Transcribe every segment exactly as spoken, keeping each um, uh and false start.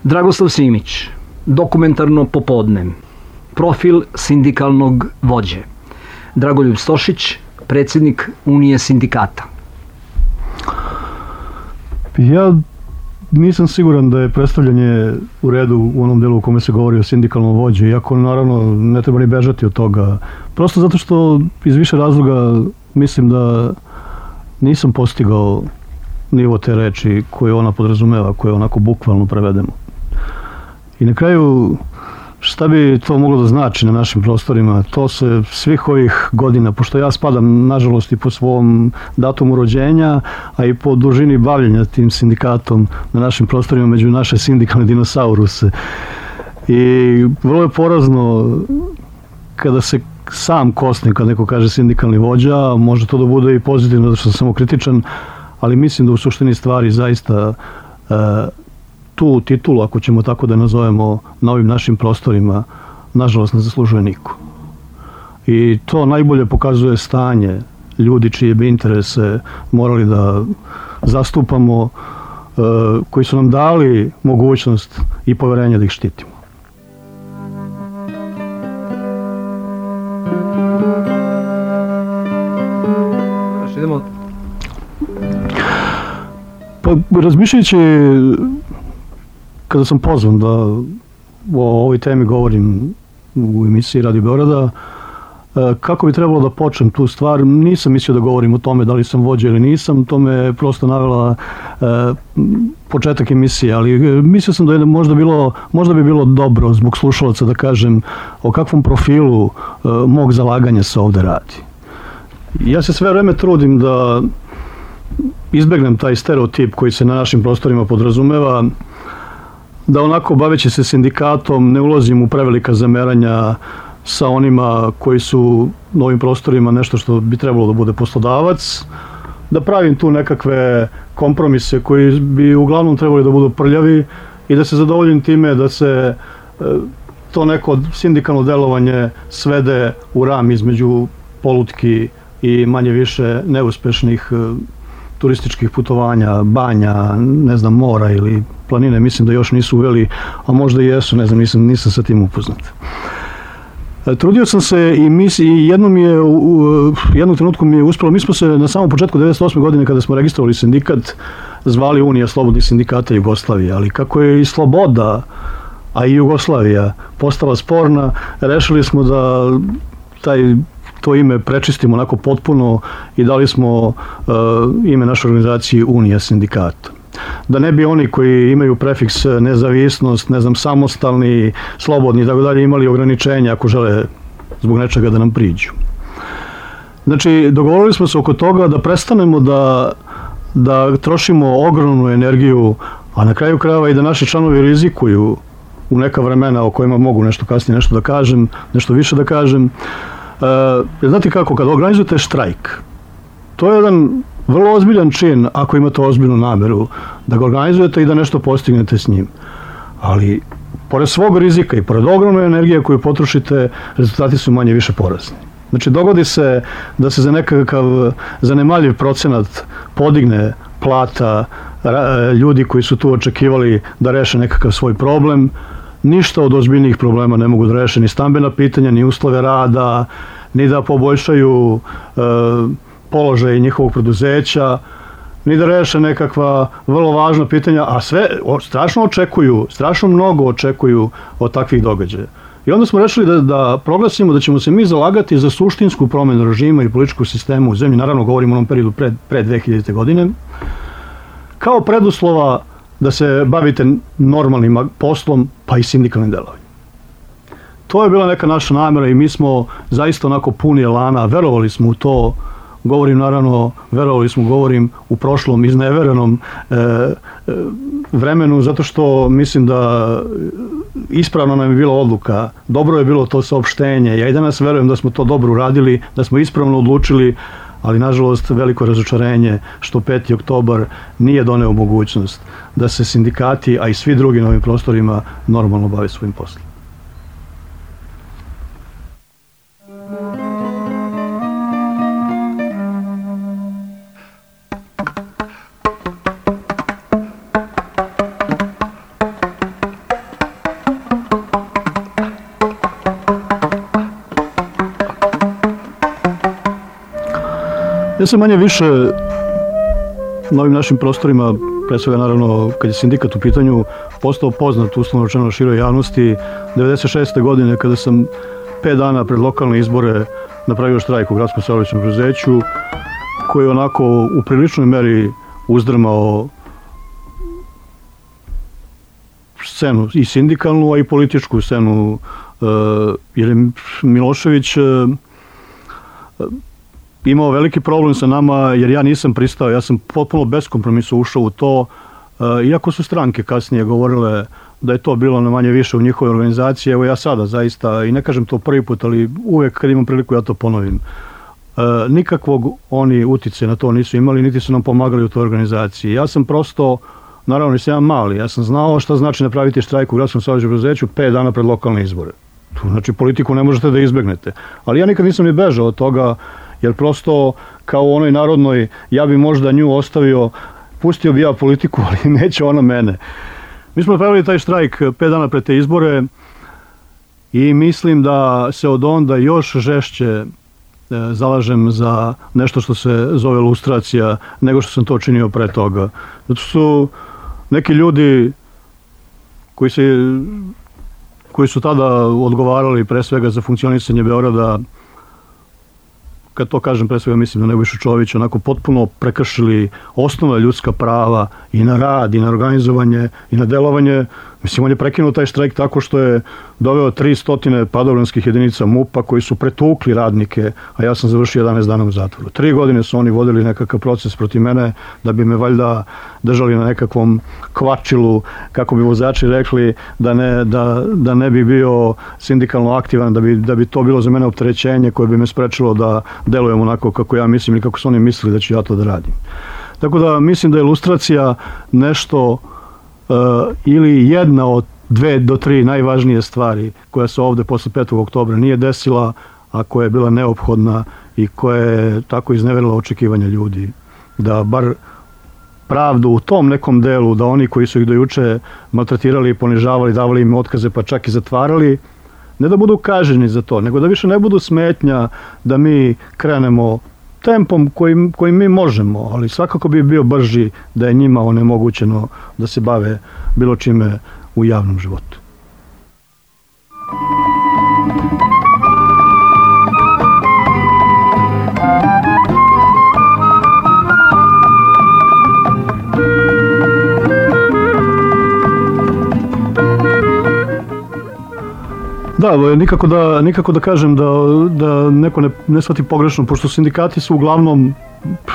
Dragoslav Simić, Dokumentarno popodne, profil sindikalnog vođe. Dragoljub Stošić, predsjednik Unije sindikata. Ja nisam siguran da je predstavljanje u redu u onom delu u kome se govori o sindikalnom vođi, iako naravno ne treba ni bežati od toga. Prosto zato što iz više razloga mislim da nisam postigao nivo te reči koje ona podrazumeva, koje onako bukvalno prevedemo. I na kraju, šta bi to moglo da znači na našim prostorima? To se svih ovih godina, pošto ja spadam nažalost i po svom datumu rođenja, a i po dužini bavljenja tim sindikatom na našim prostorima među naše sindikalne dinosauruse. I vrlo je porazno kada se sam kosne, kad neko kaže sindikalni vođa, može to da bude i pozitivno, zato što sam samo kritičan, ali mislim da u suštini stvari zaista e, tu titulu, ako ćemo tako da nazovemo, na ovim našim prostorima, nažalost ne zaslužuje niko. I to najbolje pokazuje stanje ljudi čije bi interese morali da zastupamo, e, koji su nam dali mogućnost i poverenje da ih štitimo. Idemo. Pa razmišljajući kada sam pozvan da o ovoj temi govorim u emisiji Radio Beograda, kako bi trebalo da počnem tu stvar, nisam mislio da govorim o tome da li sam vođa ili nisam, to me prosto navela početak emisije, ali mislio sam da je možda, bilo, možda bi bilo dobro zbog slušalaca da kažem o kakvom profilu mog zalaganja se ovde radi. Ja se sve vreme trudim da izbegnem taj stereotip koji se na našim prostorima podrazumeva, da onako baveći se sindikatom ne ulazim u prevelika zameranja sa onima koji su na ovim prostorima nešto što bi trebalo da bude poslodavac, da pravim tu nekakve kompromise koji bi uglavnom trebali da budu prljavi i da se zadovoljim time da se to neko sindikalno delovanje svede u ram između polutki i manje više neuspešnih turističkih putovanja, banja, ne znam, mora ili planine, mislim da još nisu uveli, a možda i jesu, ne znam, nisam, nisam sa tim upoznat. Trudio sam se i, mis, i jednom je, u jednom trenutku mi je uspelo, mi smo se na samom početku devedeset osme godine kada smo registrovali sindikat zvali Unija slobodnih sindikata Jugoslavije, ali kako je i sloboda, a i Jugoslavija postala sporna, rešili smo da taj to ime prečistimo onako potpuno i dali smo uh, ime našoj organizaciji Unija sindikata. Da ne bi oni koji imaju prefiks nezavisnost, ne znam, samostalni, slobodni i tako dalje imali ograničenja ako žele zbog nečega da nam priđu. Znači, dogovorili smo se oko toga da prestanemo da, da trošimo ogromnu energiju, a na kraju krajeva i da naši članovi rizikuju u neka vremena o kojima mogu nešto kasnije nešto da kažem, nešto više da kažem. Uh, znate kako, kada organizujete štrajk, to je jedan vrlo ozbiljan čin ako imate ozbiljnu nameru da ga organizujete i da nešto postignete s njim. Ali, pored svog rizika i pored ogromne energije koju potrošite, rezultati su manje više porazni. Znači, dogodi se da se za nekakav zanemaljiv procenat podigne plata ljudi koji su tu očekivali da reše nekakav svoj problem. Ništa od ozbiljnijih problema ne mogu da reše, ni stambena pitanja, ni uslove rada, ni da poboljšaju e, položaj njihovog preduzeća, ni da reše nekakva vrlo važna pitanja, a sve o, strašno očekuju, strašno mnogo očekuju od takvih događaja. I onda smo rešili da, da proglasimo da ćemo se mi zalagati za suštinsku promenu režima i političkog sistema u zemlji, naravno govorimo o onom periodu pre, pre dve hiljadite. godine, kao preduslova da se bavite normalnim poslom, pa i sindikalnim delovanjem. To je bila neka naša namera i mi smo zaista onako puni elana, verovali smo u to, govorim naravno, verovali smo, govorim u prošlom, izneverenom e, e, vremenu, zato što mislim da ispravno nam je bila odluka, dobro je bilo to saopštenje, ja i danas verujem da smo to dobro uradili, da smo ispravno odlučili, ali nažalost veliko razočarenje što peti oktobar nije doneo mogućnost da se sindikati, a i svi drugi na ovim prostorima normalno bave svojim poslom. Ja sam manje više na ovim našim prostorima, pre svega naravno kad je sindikat u pitanju, postao poznat uslovno rečeno široj javnosti devedeset šeste godine kada sam pet dana pred lokalne izbore napravio štrajk u gradskom saobraćajnom preduzeću koji je onako u priličnoj meri uzdrmao scenu i sindikalnu, a i političku scenu, jer je Milošević imao veliki problem sa nama, jer ja nisam pristao, ja sam potpuno bez kompromisa ušao u to, iako su stranke kasnije govorile da je to bilo na manje više u njihovoj organizaciji. Evo ja sada zaista, i ne kažem to prvi put, ali uvek kad imam priliku ja to ponovim, nikakvog oni utice na to nisu imali, niti su nam pomagali u toj organizaciji. Ja sam prosto, naravno nisam ja mali, ja sam znao šta znači napraviti štrajk u gradskom saobraćajnom preduzeću pet dana pred lokalne izbore. Znači politiku ne možete da izbegnete. Ali ja nikad nisam ni bežao od toga, jer prosto kao u onoj narodnoj, ja bi možda nju ostavio, pustio bi ja politiku, ali neće ona mene. Mi smo napravili taj štrajk pet dana pred te izbore i mislim da se od onda još žešće zalažem za nešto što se zove lustracija nego što sam to činio pre toga. Zato su neki ljudi koji, se, koji su tada odgovarali pre svega za funkcionisanje Beograda, kad to kažem pre svega mislim na Nebojšu Čovića, onako potpuno prekršili osnovna ljudska prava i na rad, i na organizovanje, i na delovanje. Mislim, on je prekinuo taj štrajk tako što je doveo tristo padobranskih jedinica MUP-a koji su pretukli radnike, a ja sam završio jedanaest dana u zatvoru. Tri godine su oni vodili nekakav proces protiv mene da bi me valjda držali na nekakvom kvačilu, kako bi vozači rekli, da ne, da, da ne bi bio sindikalno aktivan, da bi, da bi to bilo za mene opterećenje koje bi me sprečilo da delujem onako kako ja mislim ili kako su oni mislili da ću ja to da radim. Tako da mislim da je ilustracija nešto Uh, ili jedna od dve do tri najvažnije stvari koja se ovde posle petog oktobra nije desila, a koja je bila neophodna i koja je tako izneverila očekivanja ljudi. Da bar pravdu u tom nekom delu, da oni koji su ih do juče maltretirali, ponižavali, davali im otkaze pa čak i zatvarali, ne da budu kažnjeni za to, nego da više ne budu smetnja da mi krenemo tempom kojim, kojim mi možemo, ali svakako bi bio brži da je njima onemogućeno da se bave bilo čime u javnom životu. Da, nikako da, nikako da kažem da, da neko ne, ne shvati pogrešno, pošto sindikati su uglavnom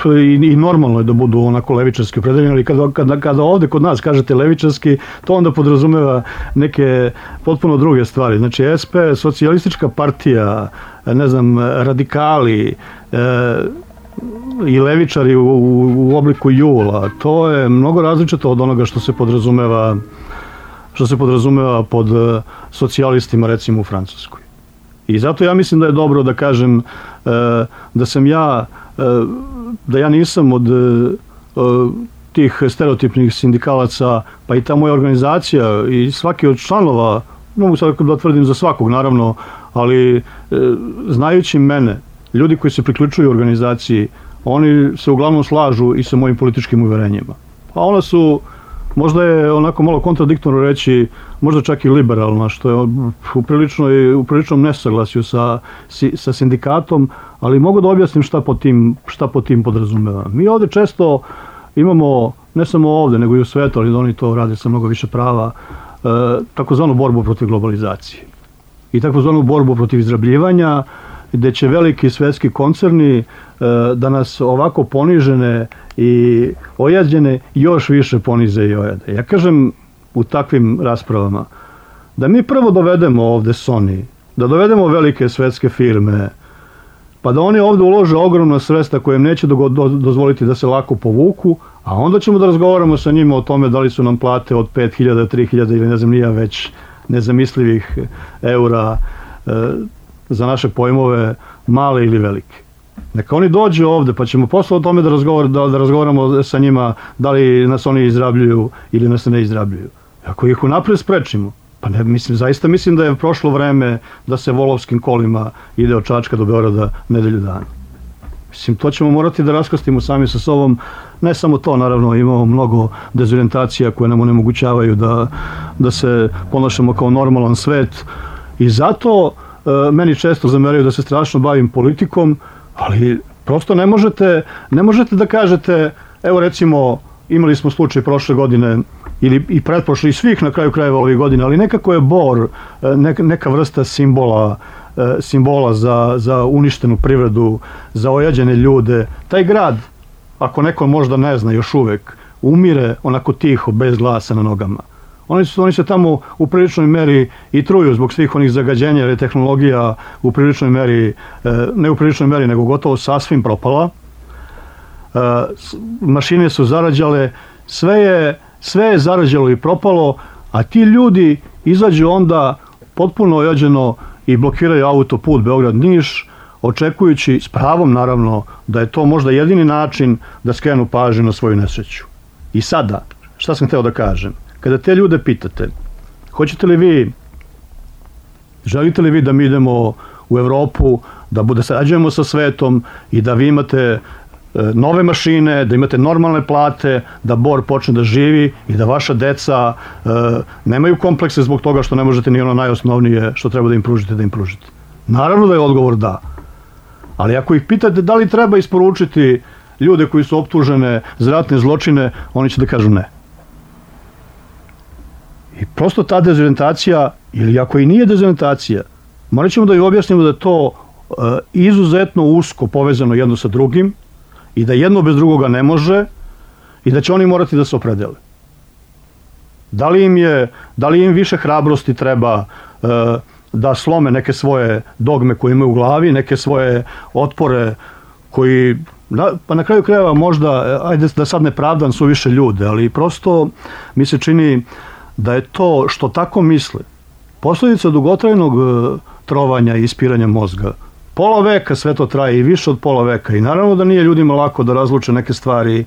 i, i normalno je da budu onako levičarski opredeljeni, ali kada, kada, kada ovde kod nas kažete levičarski, to onda podrazumeva neke potpuno druge stvari. Znači S P, socijalistička partija, ne znam, radikali e, i levičari u, u, u obliku jula, to je mnogo različito od onoga što se podrazumeva što se podrazumeva pod socijalistima, recimo u Francuskoj. I zato ja mislim da je dobro da kažem da sam ja, da ja nisam od tih stereotipnih sindikalaca, pa i ta moja organizacija i svaki od članova, mogu sad da tvrdim za svakog naravno, ali znajući mene, ljudi koji se priključuju organizaciji, oni se uglavnom slažu i sa mojim političkim uverenjima. A ona su, možda je onako malo kontradiktorno reći, možda čak i liberalna, što je u, priličnoj, u priličnom nesaglasju sa, sa sindikatom, ali mogu da objasnim šta po tim, šta po tim podrazumeva. Mi ovde često imamo, ne samo ovde, nego i u svetu, ali oni to rade sa mnogo više prava, e, takozvanu borbu protiv globalizacije i takozvanu borbu protiv izrabljivanja, gde će veliki svetski koncerni e, da nas ovako ponižene i ojađene još više ponize i ojade. Ja kažem u takvim raspravama da mi prvo dovedemo ovde Sony, da dovedemo velike svetske firme, pa da oni ovde ulože ogromna sredstva koje im neće do, do, dozvoliti da se lako povuku, a onda ćemo da razgovaramo sa njima o tome da li su nam plate od pet hiljada, tri hiljade ili ne znam nija već nezamislivih eura e, za naše pojmove male ili velike. Neka oni dođu ovde, pa ćemo posle o tome da, razgovor, da, da razgovaramo sa njima da li nas oni izrabljuju ili nas ne izrabljuju. Ako ih unapred sprečimo, pa ne, mislim, zaista mislim da je prošlo vreme da se volovskim kolima ide od Čačka do Beograda nedelju dana. Mislim, to ćemo morati da raskrstimo sami sa sobom. Ne samo to, naravno, imamo mnogo dezorientacija koje nam onemogućavaju da, da se ponašamo kao normalan svet. I zato e, meni često zameraju da se strašno bavim politikom, ali prosto ne možete, ne možete da kažete, evo recimo, imali smo slučaj prošle godine, ili i pretprošle, i svih na kraju krajeva ovih godina, ali nekako je Bor neka, neka vrsta simbola, simbola za, za uništenu privredu, za ojađene ljude. Taj grad, ako neko možda ne zna još uvek, umire onako tiho, bez glasa na nogama. Oni, su, oni se tamo u priličnoj meri i truju zbog svih onih zagađenja, jer je tehnologija u priličnoj meri, ne u priličnoj meri, nego gotovo sasvim propala. Mašine su zarađale, sve je, sve je zarađalo i propalo, a ti ljudi izađu onda potpuno ojađeno i blokiraju autoput Beograd-Niš, očekujući, s pravom naravno, da je to možda jedini način da skrenu pažnju na svoju nesreću. I sada, šta sam hteo da kažem? Kada te ljude pitate, hoćete li vi, želite li vi da mi idemo u Evropu, da bude sarađujemo sa svetom i da vi imate nove mašine, da imate normalne plate, da Bor počne da živi i da vaša deca e, nemaju komplekse zbog toga što ne možete ni ono najosnovnije što treba da im pružite, da im pružite. Naravno da je odgovor da. Ali ako ih pitate da li treba isporučiti ljude koji su optužene za ratne zločine, oni će da kažu ne. I prosto ta dezorientacija, ili ako i nije dezorientacija, morat ćemo da ju objasnimo da je to e, izuzetno usko povezano jedno sa drugim, i da jedno bez drugoga ne može i da će oni morati da se opredele. Da li im je, da li im više hrabrosti treba e, da slome neke svoje dogme koje imaju u glavi, neke svoje otpore koji, da, pa na kraju krajeva možda, ajde da sad ne pravdam suviše ljude, ali prosto mi se čini da je to što tako misle posljedica dugotrajnog e, trovanja i ispiranja mozga. Pola veka sve to traje i više od pola veka i naravno da nije ljudima lako da razluče neke stvari e,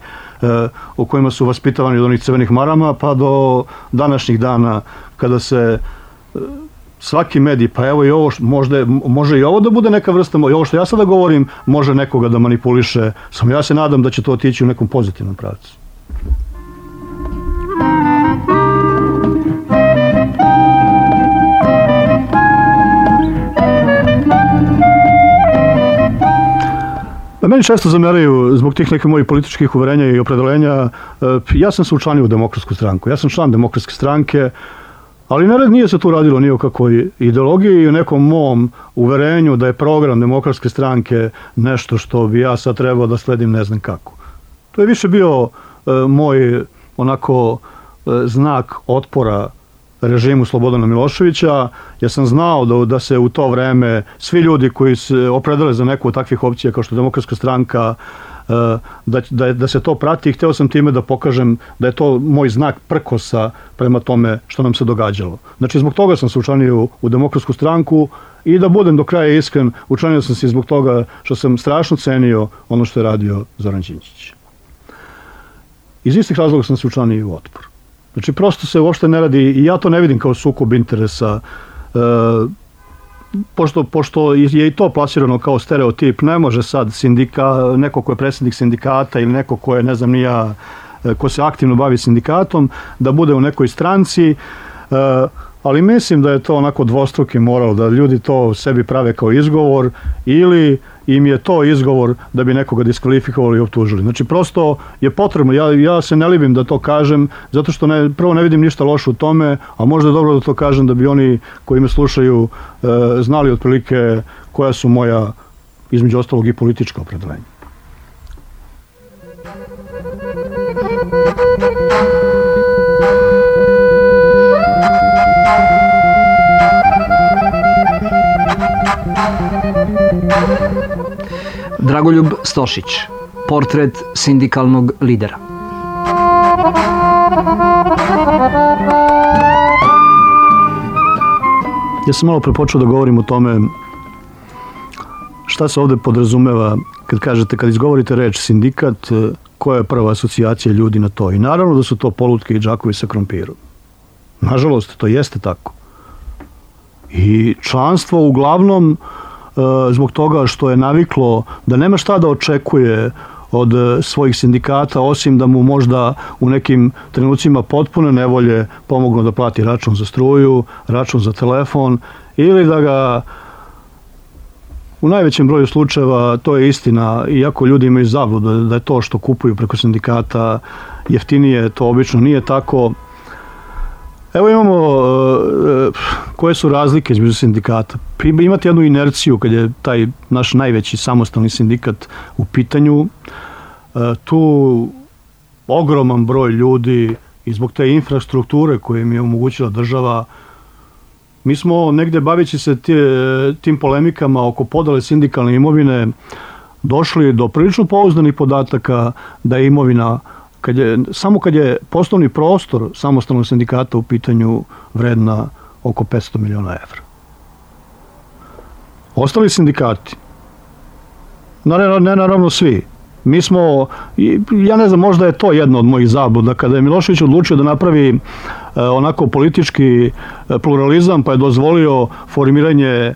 o kojima su vaspitavani od onih crvenih marama pa do današnjih dana kada se e, svaki medij, pa evo i ovo, možda, može i ovo da bude neka vrsta, i ovo što ja sada govorim može nekoga da manipuliše, samo ja se nadam da će to otići u nekom pozitivnom pravcu. Meni često zameraju zbog tih nekih mojih političkih uverenja i opredelenja. Ja sam se učlanio u Demokratsku stranku. Ja sam član Demokratske stranke, ali ne, nije se tu radilo ni o kakvoj ideologiji i o nekom mom uverenju da je program Demokratske stranke nešto što bi ja sad trebao da sledim ne znam kako. To je više bio e, moj onako e, znak otpora režimu Slobodana Miloševića. Ja sam znao da, da se u to vreme svi ljudi koji se opredele za neku od takvih opcija kao što je Demokratska stranka, da, da, da se to prati i hteo sam time da pokažem da je to moj znak prkosa prema tome što nam se događalo. Znači zbog toga sam se učlanio u, u Demokratsku stranku i da budem do kraja iskren, učlanio sam se zbog toga što sam strašno cenio ono što je radio Zoran Đinđić. Iz istih razloga sam se učlanio i u Otpor. Znači, prosto se uopšte ne radi, i ja to ne vidim kao sukob interesa, e, pošto, pošto je i to plasirano kao stereotip, ne može sad sindika, neko ko je predsjednik sindikata ili neko ko je, ne znam ni ja, ko se aktivno bavi sindikatom, da bude u nekoj stranci, e, ali mislim da je to onako dvostruki moral, da ljudi to sebi prave kao izgovor ili im je to izgovor da bi nekoga diskvalifikovali i optužili. Znači, prosto je potrebno, ja, ja se ne libim da to kažem, zato što ne, prvo ne vidim ništa loše u tome, a možda je dobro da to kažem da bi oni koji me slušaju e, znali otprilike koja su moja, između ostalog, i politička opredeljenja. Dragoljub Stošić, portret sindikalnog lidera. Ja sam malo prepočeo da govorim o tome šta se ovde podrazumeva kad kažete, kad izgovorite reč sindikat, koja je prva asocijacija ljudi na to. I naravno da su to polutke i džakovi sa krompirom. Nažalost, to jeste tako. I članstvo uglavnom zbog toga što je naviklo da nema šta da očekuje od svojih sindikata, osim da mu možda u nekim trenucima potpune nevolje pomognu da plati račun za struju, račun za telefon, ili da ga u najvećem broju slučajeva, to je istina, iako ljudi imaju zabludu da je to što kupuju preko sindikata jeftinije, to obično nije tako. Evo imamo uh, koje su razlike između sindikata. Imate jednu inerciju kad je taj naš najveći samostalni sindikat u pitanju. Uh, tu ogroman broj ljudi i zbog te infrastrukture koje im je omogućila država. Mi smo negde baveći se tim polemikama oko podele sindikalne imovine došli do prilično pouzdanih podataka da je imovina, kad je, samo kad je poslovni prostor samostalnog sindikata u pitanju vredna oko petsto miliona evra. Ostali sindikati, ne, ne naravno svi, mi smo, ja ne znam, možda je to jedno od mojih zabluda, kada je Milošević odlučio da napravi onako politički pluralizam, pa je dozvolio formiranje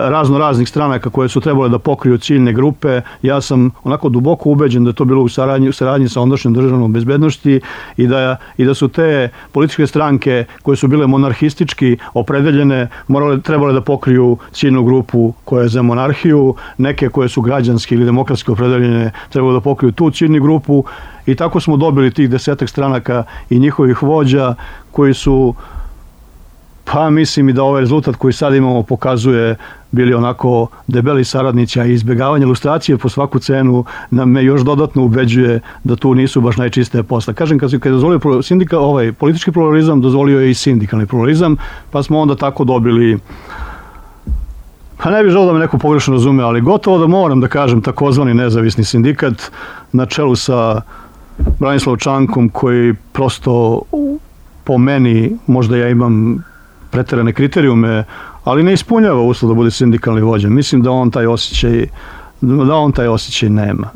razno raznih stranaka koje su trebale da pokriju ciljne grupe. Ja sam onako duboko ubeđen da je to bilo u saradnji, u saradnji sa ondašnjom državnom bezbednosti i da, i da su te političke stranke koje su bile monarhistički opredeljene morale, trebale da pokriju ciljnu grupu koja je za monarhiju, neke koje su građanski ili demokratski opredeljene trebale da pokriju tu ciljnu grupu. I tako smo dobili tih desetak stranaka i njihovih vođa koji su, pa mislim i da ovaj rezultat koji sad imamo pokazuje, bili onako debeli saradnici, a izbjegavanje ilustracije po svaku cenu nam me još dodatno ubeđuje da tu nisu baš najčistije posla. Kažem, kad je dozvolio sindika, ovaj politički pluralizam, dozvolio je i sindikalni pluralizam, pa smo onda tako dobili, pa ne bih želeo da me neko pogrešno razume, ali gotovo da moram da kažem takozvani nezavisni sindikat na čelu sa Branislavom Čankom, koji prosto po meni, možda ja imam preterane kriterijume, ali ne ispunjava uslov da bude sindikalni vođa. Mislim da on taj osjećaj, da on taj osjećaj nema.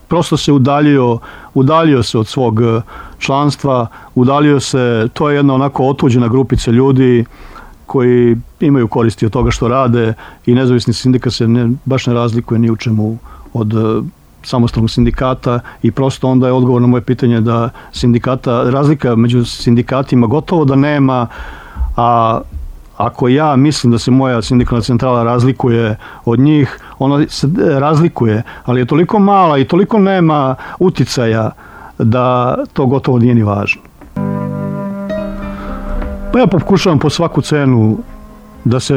Prosto se udaljio, udaljio se od svog članstva, udaljio se, to je jedna onako otuđena grupica ljudi koji imaju koristi od toga što rade i nezavisni sindikat se ne, baš ne razlikuje ni u čemu od samostalnog sindikata i prosto onda je odgovor na moje pitanje da sindikata, razlika među sindikatima gotovo da nema, a ako ja mislim da se moja sindikalna centrala razlikuje od njih, ona se razlikuje, ali je toliko mala i toliko nema uticaja da to gotovo nije ni važno. Pa ja pokušavam po svaku cenu da se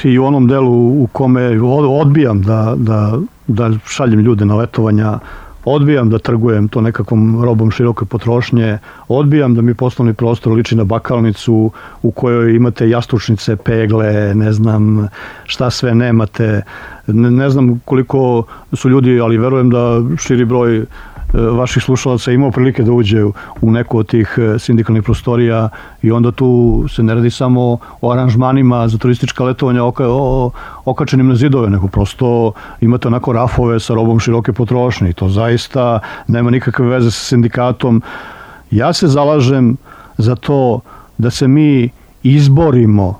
i u onom delu u kome odbijam da, da, da šaljem ljude na letovanja, odbijam da trgujem to nekakvom robom široke potrošnje, odbijam da mi poslovni prostor liči na bakalnicu u kojoj imate jastučnice, pegle, ne znam šta sve nemate. Ne, ne znam koliko su ljudi, ali verujem da širi broj vaših slušalaca imao prilike da uđe u neku od tih sindikalnih prostorija i onda tu se ne radi samo o aranžmanima za turistička letovanja oka, o, okačenim na zidove, nego prosto imate onako rafove sa robom široke potrošnje i to zaista nema nikakve veze sa sindikatom. Ja se zalažem za to da se mi izborimo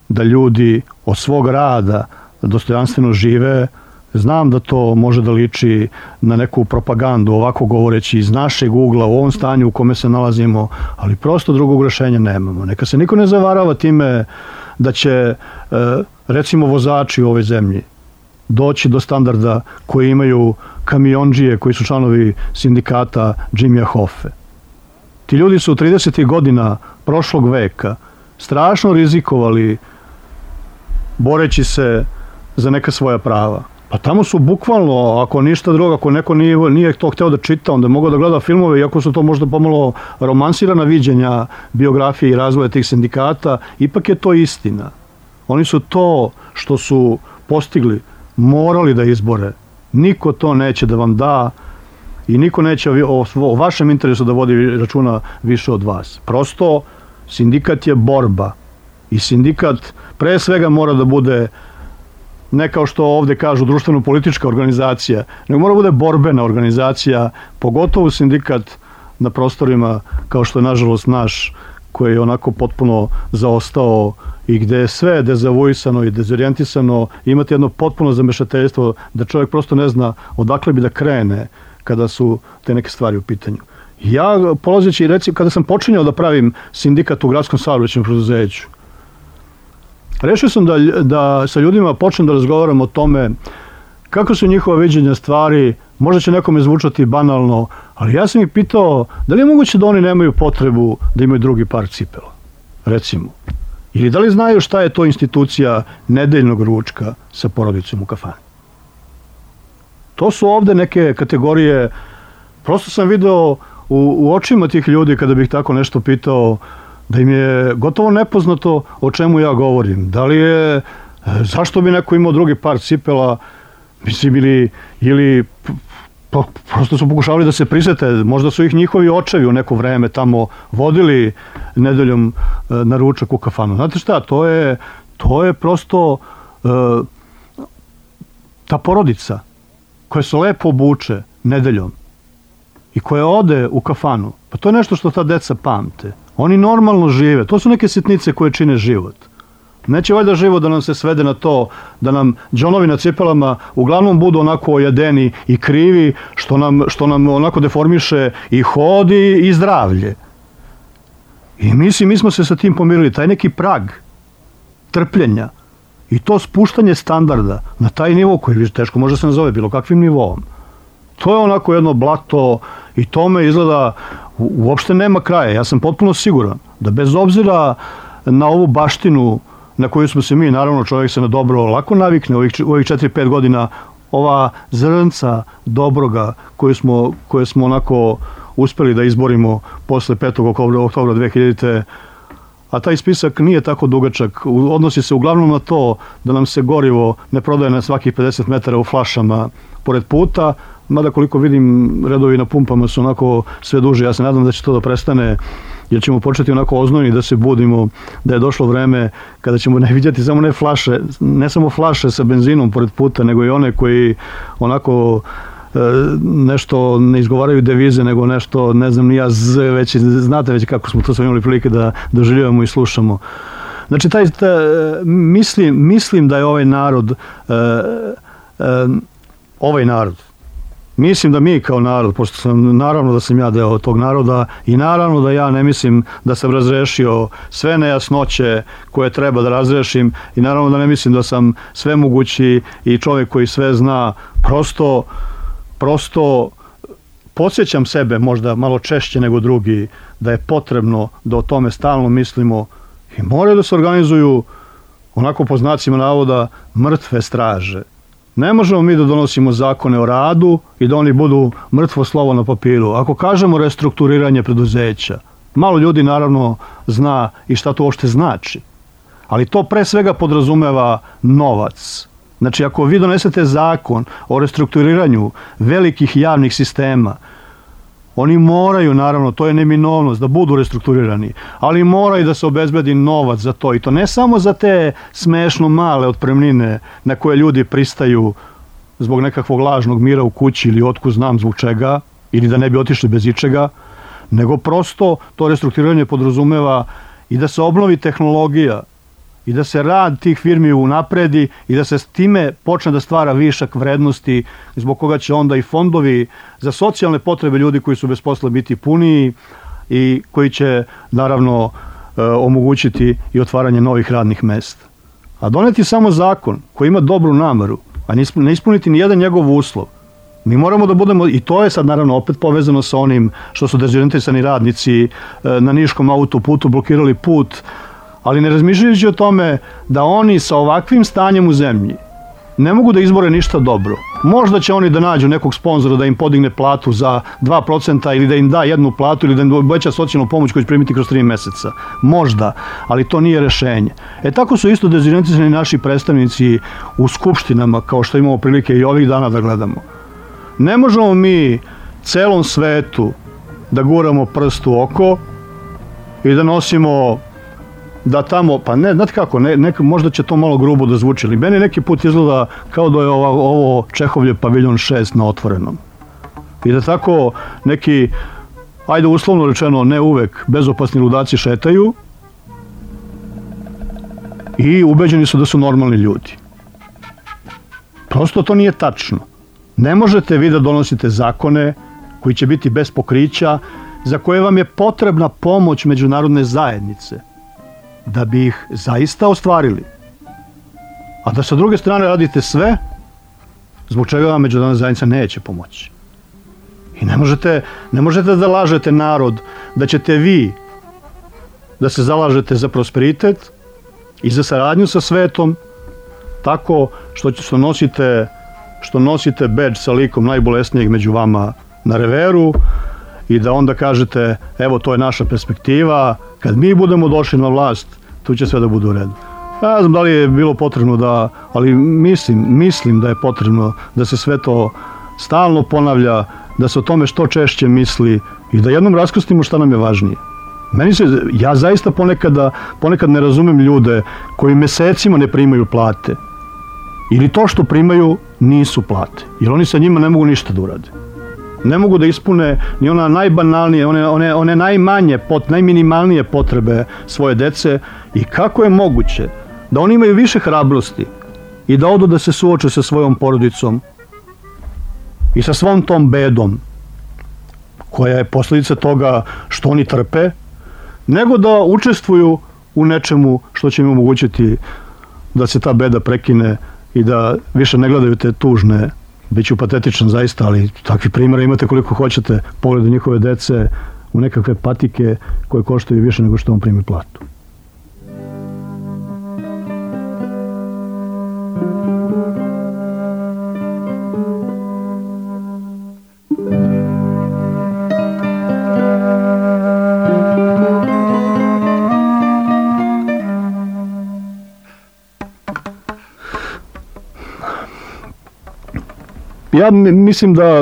da ljudi od svog rada dostojanstveno žive. Znam da to može da liči na neku propagandu, ovako govoreći iz našeg ugla u ovom stanju u kome se nalazimo, ali prosto drugog rešenja nemamo. Neka se niko ne zavarava time da će, recimo, vozači u ovoj zemlji doći do standarda koji imaju kamiondžije, koji su članovi sindikata Jimmy Hoffe. Ti ljudi su tridesetih godina prošlog veka strašno rizikovali boreći se za neka svoja prava. Pa tamo su bukvalno, ako ništa drugo, ako neko nije, nije to hteo da čita, onda je mogao da gleda filmove, iako su to možda pomalo romansirana viđenja biografije i razvoja tih sindikata, ipak je to istina. Oni su to što su postigli morali da izbore. Niko to neće da vam da i niko neće o, o vašem interesu da vodi računa više od vas. Prosto, sindikat je borba i sindikat pre svega mora da bude ne kao što ovde kažu društveno-politička organizacija, nego mora da bude borbena organizacija, pogotovo sindikat na prostorima kao što je nažalost naš, koji je onako potpuno zaostao i gde je sve dezavuisano i dezorijentisano, imate jedno potpuno zamešateljstvo da čovjek prosto ne zna odakle bi da krene kada su te neke stvari u pitanju. Ja, polazeći, recimo, kada sam počinjao da pravim sindikat u gradskom saobraćajnom preduzeću, rešio sam da, da sa ljudima počnem da razgovaram o tome kako su njihova viđenja stvari. Možda će nekome zvučati banalno, ali ja sam ih pitao da li je moguće da oni nemaju potrebu da imaju drugi par cipela, recimo. Ili da li znaju šta je to institucija nedeljnog ručka sa porodicom u kafani. To su ovde neke kategorije, prosto sam video u, u očima tih ljudi kada bih tako nešto pitao, da im je gotovo nepoznato o čemu ja govorim. Da li je, zašto bi neko imao drugi par cipela, mislim, ili, ili pa, prosto su pokušavali da se prisete, možda su ih njihovi očevi u neko vreme tamo vodili nedeljom na ručak u kafanu. Znate šta, to je, to je prosto uh, ta porodica koja se lepo obuče nedeljom i koja ode u kafanu, pa to je nešto što ta deca pamte. Oni normalno žive, to su neke sitnice koje čine život. Neće valjda život da nam se svede na to da nam džonovi na cipelama uglavnom budu onako ojedeni i krivi, što nam, što nam onako deformiše i hodi i zdravlje. I mislim, mi smo se sa tim pomirili, taj neki prag trpljenja i to spuštanje standarda na taj nivo koji teško može se nazove bilo kakvim nivom. To je onako jedno blato i tome izgleda u, uopšte nema kraja. Ja sam potpuno siguran da bez obzira na ovu baštinu na koju smo se mi, naravno čovjek se na dobro lako navikne u ovih, ovih četiri pet godina, ova zrnca dobroga koju smo, koje smo onako uspeli da izborimo posle petog oktobra dve hiljadite. A taj spisak nije tako dugačak, odnosi se uglavnom na to da nam se gorivo ne prodaje na svakih pedeset metara u flašama pored puta, mada koliko vidim redovi na pumpama su onako sve duže. Ja se nadam da će to da prestane, jer ćemo početi onako oznojni da se budimo, da je došlo vreme kada ćemo ne vidjeti samo ne flaše, ne samo flaše sa benzinom pored puta, nego i one koji onako e, nešto ne izgovaraju devize, nego nešto, ne znam, ni ja z, već, znate već kako smo to sve imali prilike da doživljavamo i slušamo. Znači, taj, taj, mislim, mislim da je ovaj narod, e, e, ovaj narod, mislim da mi kao narod, pošto sam, naravno da sam ja deo tog naroda i naravno da ja ne mislim da sam razrešio sve nejasnoće koje treba da razrešim i naravno da ne mislim da sam svemogući i čovjek koji sve zna, prosto, prosto podsjećam sebe možda malo češće nego drugi da je potrebno da o tome stalno mislimo i moraju da se organizuju onako po znacima navoda mrtve straže. Ne možemo mi da donosimo zakone o radu i da oni budu mrtvo slovo na papiru. Ako kažemo restrukturiranje preduzeća, malo ljudi naravno zna i šta to uopšte znači. Ali to pre svega podrazumeva novac. Znači, ako vi donesete zakon o restrukturiranju velikih javnih sistema, oni moraju, naravno, to je neminovnost, da budu restrukturirani, ali moraju da se obezbedi novac za to. I to ne samo za te smešno male otpremnine na koje ljudi pristaju zbog nekakvog lažnog mira u kući ili otkud znam zbog čega, ili da ne bi otišli bez ičega, nego prosto to restrukturiranje podrazumeva i da se obnovi tehnologija, i da se rad tih firmi unapredi i da se s time počne da stvara višak vrednosti zbog koga će onda i fondovi za socijalne potrebe ljudi koji su bez posla biti puniji i koji će naravno e, omogućiti i otvaranje novih radnih mesta. A doneti samo zakon koji ima dobru nameru, a ne ispuniti ni jedan njegov uslov, mi moramo da budemo, i to je sad naravno opet povezano sa onim što su dezorijentisani radnici e, na Niškom autoputu blokirali put, ali ne razmišljajući o tome da oni sa ovakvim stanjem u zemlji ne mogu da izbore ništa dobro. Možda će oni da nađu nekog sponzora da im podigne platu za dva procenta ili da im da jednu platu ili da im uveća socijalnu pomoć koju će primiti kroz tri meseca. Možda, ali to nije rešenje. E tako su isto dezorijentisani naši predstavnici u skupštinama, kao što imamo prilike i ovih dana da gledamo. Ne možemo mi celom svetu da guramo prst u oko i da nosimo da tamo, pa ne, znate kako, ne, ne, možda će to malo grubo da zvuči, ali meni neki put izgleda kao da je ovo, ovo Čehovljev paviljon šest na otvorenom. I da tako neki ajde uslovno rečeno, ne uvek, bezopasni ludaci šetaju i ubeđeni su da su normalni ljudi. Prosto to nije tačno. Ne možete vi da donosite zakone koji će biti bez pokrića, za koje vam je potrebna pomoć međunarodne zajednice da bi ih zaista ostvarili. A da sa druge strane radite sve zbog čega vam međunarodna zajednica neće pomoći. I ne možete, ne možete da lažete narod da ćete vi da se zalažete za prosperitet i za saradnju sa svetom tako što, što nosite što nosite bedž sa likom najbolesnijeg među vama na reveru i da onda kažete evo to je naša perspektiva, kad mi budemo došli na vlast tu će sve da bude u redu. Ja ne znam da li je bilo potrebno da, ali mislim, mislim da je potrebno da se sve to stalno ponavlja, da se o tome što češće misli i da jednom raskrstimo šta nam je važnije. Meni se, ja zaista ponekada, ponekad ne razumem ljude koji mesecima ne primaju plate ili to što primaju nisu plate, jer oni sa njima ne mogu ništa da urade. Ne mogu da ispune ni ona najbanalnije, one, one, one najmanje, pot, najminimalnije potrebe svoje dece i kako je moguće da oni imaju više hrabrosti i da odu da se suoče sa svojom porodicom i sa svom tom bedom koja je posljedica toga što oni trpe, nego da učestvuju u nečemu što će im omogućiti da se ta beda prekine i da više ne gledaju te tužne, bit ću patetičan zaista, ali takvi primjera imate koliko hoćete, pogledu njihove dece u nekakve patike koje koštaju više nego što on primi platu. Ja mislim da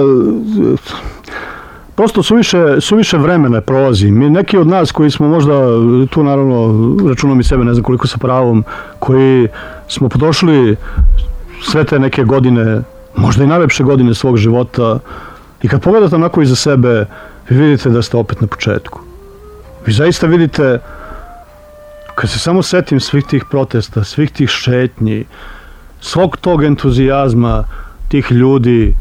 prosto suviše, suviše vremena prolazi. Mi, neki od nas koji smo možda, tu naravno računam i sebe, ne znam koliko sa pravom, koji smo potrošili sve te neke godine, možda i najlepše godine svog života i kad pogledate onako iza sebe, vi vidite da ste opet na početku. Vi zaista vidite, kad se samo setim svih tih protesta, svih tih šetnji, svog tog entuzijazma, tih ljudi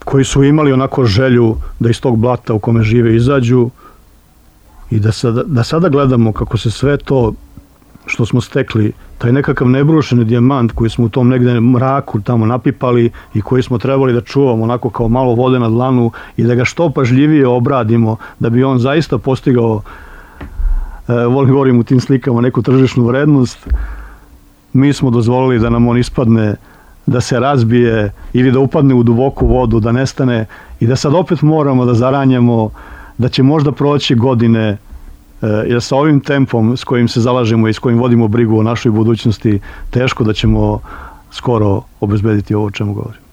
koji su imali onako želju da iz tog blata u kome žive izađu i da sada, da sada gledamo kako se sve to što smo stekli, taj nekakav nebrušeni dijamant koji smo u tom negde mraku tamo napipali i koji smo trebali da čuvamo onako kao malo vode na dlanu i da ga što pažljivije obradimo da bi on zaista postigao, e, volim govorim u tim slikama, neku tržišnu vrednost, mi smo dozvolili da nam on ispadne, da se razbije ili da upadne u duboku vodu, da nestane i da sad opet moramo da zaranjamo da će možda proći godine, jer sa ovim tempom s kojim se zalažemo i s kojim vodimo brigu o našoj budućnosti, teško da ćemo skoro obezbediti ovo o čemu govorim.